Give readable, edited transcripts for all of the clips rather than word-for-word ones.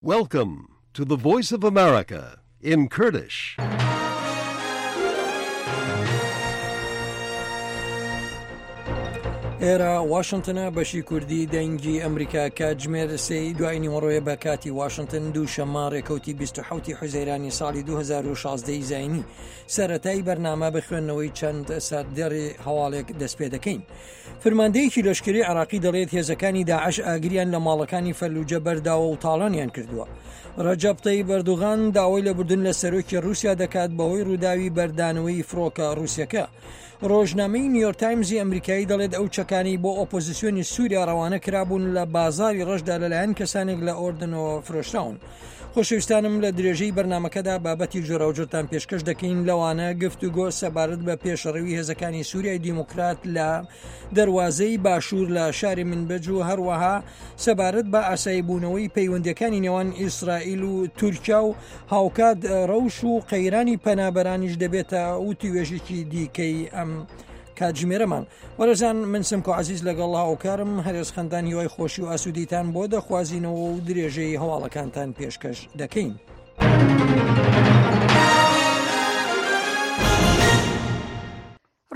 Welcome to the Voice of America in Kurdish. ئێرە واشنتنە بەشی کوردی دەنگی ئەمریکا کاتژمێر سێی دوای نیوەڕۆیە بە کاتی واشنتن دوو شەممە ڕێکەوتی 27 حوزەیرانی ساڵی 2016 زینی سەرەتای بەرنامە بە خوێندنەوەی چەند سەردێڕی هەواڵێک دەست پێ دەکەین. فرماندەیەکی لەشکری عراقی دەڵێت هێزەکانی داعش ئاگریان لە ماڵەکانی فەلوجە بەرداوە و تاڵانیان کردووە. ڕەجەب تەیب ئەردوغان داوای لێبوردن لە سەرۆکی رووسیا دەکات بەهۆی ڕووداوی بەردانەوەی فڕۆکە ڕووسەکە. ڕۆژنامەی نیویۆرک تایمزی ئەمریکایی دەڵێت ئەو چەکانەی بۆ ئۆپۆزیسیۆنی سووریا ڕەوانە کرابوون لە بازاری ڕەشدا لەلایەن کەسانێک لە ئۆردنەوە فرۆشراون. خۆشەویستانم لە درێژەی بەرنمەکەدا بابەتی جۆراوجۆرتان پێشکەش دەکەین لەوانە گفتوگۆ سەبارەت بە پێشڕەوی هێزەکانی سووریای دیموکرات لە دەروازەی باشوور لە شاری منبەج و هەروەها سەبارەت بە ئاسایی بوونەوەی پەیوەندەکانی نێوان ئیسرائیل و تورکیا و هاوکات ڕەوش و قەیرانی پەنابەرانیش دەبێتە وتوێژێکی دیکەی ئەم کاتژمێرەمان. بەڕێزان من سمکۆ عەزیز لەگەڵ هاوکارم هەرێز خەندان هیوای خۆشی و ئاسوودیتان بۆ دەخوازینەوە و درێژەی هەواڵەکانتان پێشکەش دەکەین.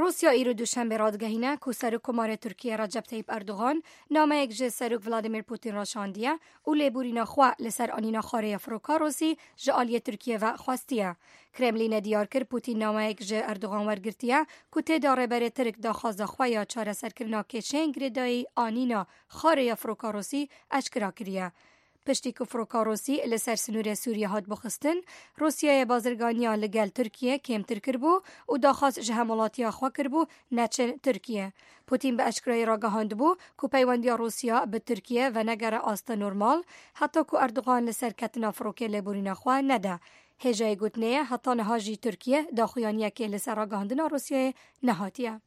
Rûsya îro Duşembê radigehîne ku Serokkomarê Tirkiyê Recep Tayyip Erdogan nameyek ji Serok Vladimir Putin re şandiye û lêborîna xwe li ser anîna xarê ya firoka Rûsî ji aliyê Tirkiyê ve xwestiye. Kremlînê diyar kir Putin nameyek ji Erdogan wergirtiye ku tê de rêberê Tirk daxwaza xwe ya çareserkirina kêşeyên girêdayî anîna xarê ya firoka Rûsî eşkera kiriye. Piştî ku firoka Rûsî li ser sinûrê Sûriyê hat bixistin, Rûsyayê bazirganiya li gel Tirkiyê kêmtir kiribû û daxwaz ji hemwelatiya xwe kiribû neçin Tirkiyê. Pûtîn bi eşkerayî ragihandibû ku peywendiya Rûsya bi Tirkiyê venegere asta normal heta ku Erdogan li ser ketina firokê lêborîna xwe nede. Hêjayê gotinê ye heta niha jî Tirkiye daxuyaniyekê li ser ragihandina Rûsyayê nehatiye.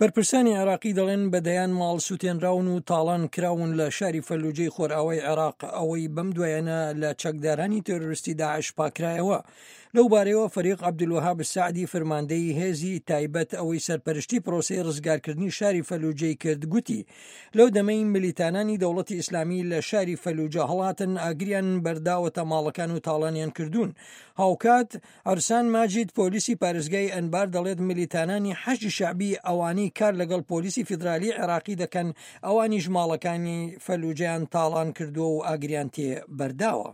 بەرپرسانی عێراقی دەڵێن بە دەیان ماڵ سوتێنراون و تاڵان کراون لە شاری فەلوجەی خۆرئاوای عێراق ئەوەی بەم دوایانە لە چەکدارانی تێرۆریستی داعش پاکرایەوە. لەو بارەیەوە فەریق عەبدولوەهاب سەعدی فرماندەی هێزی تایبەت ئەوەی سەرپەرشتی پرۆسەی ڕزگارکردنی شاری فەلوجەی کرد گوتی لەو دەمەی ملیتانانی دەوڵەتی ئیسلامی لە شاری فەلوجە هەڵاتن ئاگریان بەرداوەتە ماڵەکان و تاڵانیان کردوون هاوکات عرسان ماجید پۆلیسی پارێزگای ئەنبار دەڵێت ملیتانانی حەشدی شەعبی ئەوانەی کار لەگەڵ پۆلیسی فیدرالی عێراقی دەکەن ئەوانیش ماڵەکانی فەلوجەیان تاڵان کردووە و ئاگریان تێ بەرداوە.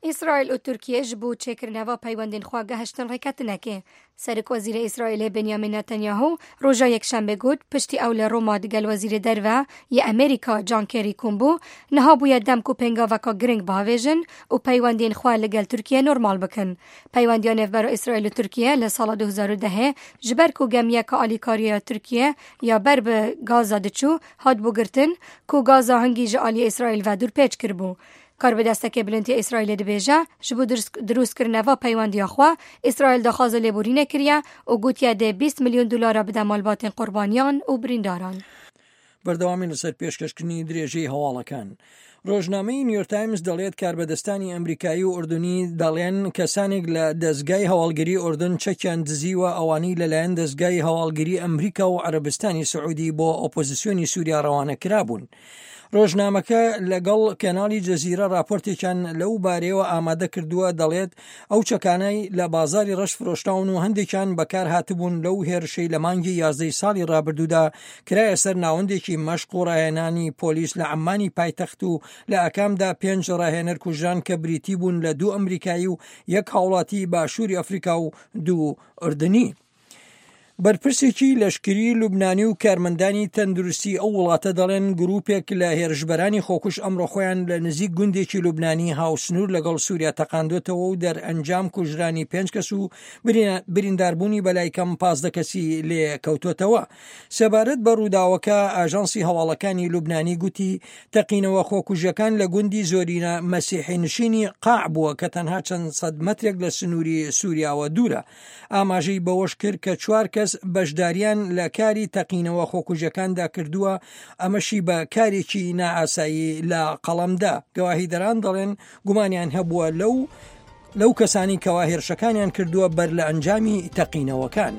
ئیسرائیل û Tirkiye ji bo çêkirineva peywendên xwe gehiştin rêketinekê. Serokwezîrê Îsraîlê Benjamin Netanyahu roja Yekşembê got piştî ew li Roma digel Wezîrê Derve yê Amerîka John Kerry kom bû, niha bûye dem ku pêngaveka giring biavêjin û peywendiyên xwe li gel Tirkiye normal bikin. Peywendiya nêvbera Îsraîl û Tirkiye li sala 2010 ji ber ku gemiyeka alîkariya Tirkiye ya ber bi Gaza diçû hatibû girtin ku Gaza hingî ji aliyê Îsraîl ve dûrpêç kiribû. Karbidestekê bilind yê Îsraîlê dibêje, ji bo dirûstkirina peywendiya xwe, Îsraîl daxwaza lêborînê kiriye û gotiye dê 20 milyon dolara bide malbatên qurbaniyan û birîndaran. بەردەوامین لەسەر پێشکەشکردنی درێژەی هەواڵەکان. ڕۆژنامەی نیویۆرک تایمز دەڵێت کاربەدەستانی ئەمریکایی و ئوردنی دەڵێن کەسانێک لە دەزگای هەواڵگری ئوردن چەکیان دزیوە ئەوانەی لەلایەن دەزگای هەواڵگری ئەمریکا و عەرەبستانی سعودی بۆ ئۆپۆزیسیۆنی سووریا ڕەوانە کرابوون. ڕۆژنامەکە لەگەڵ کەناڵی جەزیرە ڕاپۆرتێکیان لەو بارەیەوە ئامادە کردووە دەڵێت ئەو چەکانەی لە بازاری ڕەش فرۆشراون و هەندێکیان بەکار هاتبوون لەو هێرشەی لە مانگی یازدەی ساڵی ڕابردوودا کرایە سەر ناوەندێکی مەشق و ڕاهێنانی پۆلیس لە عەممانی پایتەخت و لە ئاکامدا پێنج ڕاهێنەر کوژران کە بریتی بوون لە دوو ئەمریکایی و یەک هاوڵاتی باشووری ئەفریکا و دوو ئوردنی. بەرپرسێکی لەشکری لوبنانی و کارمەندانی تەندروستی ئەو وڵاتە دەڵێن گروپێک لە هێرشبەرانی خۆکوژ ئەمڕۆ خۆیان لە نزیک گوندێکی لوبنانی هاوسنوور لەگەڵ سووریا تەقاندوێتەوە و دەرئەنجام کوژرانی پێنج کەس و برینداربوونی بەلای کەم 15 کەسی لێ کەوتۆتەوە. سەبارەت بە ڕووداوەکە ئاژانسی هەواڵەکانی لوبنانی گوتی تەقینەوە خۆکوژەکان لە گوندی زۆرینە مەسیحی نشینی قاع بووە کە تەنها چەند سەد مەترێک لە سنووری سووریاوە دوورە. ئاماژەی بەوەشکرد کە چوار کەس بەشداریان لە کاری تەقینەوە خۆکوژەکاندا کردووە، ئەمەشی بە کارێکی نائاسایی لە قەڵەمدا. گەواهیدەران دەڵێن گومانیان هەبووە لەو لەو کەسانی کەوا هێرشەکانیان کردووە بەر لە ئەنجامی تەقینەوەکان.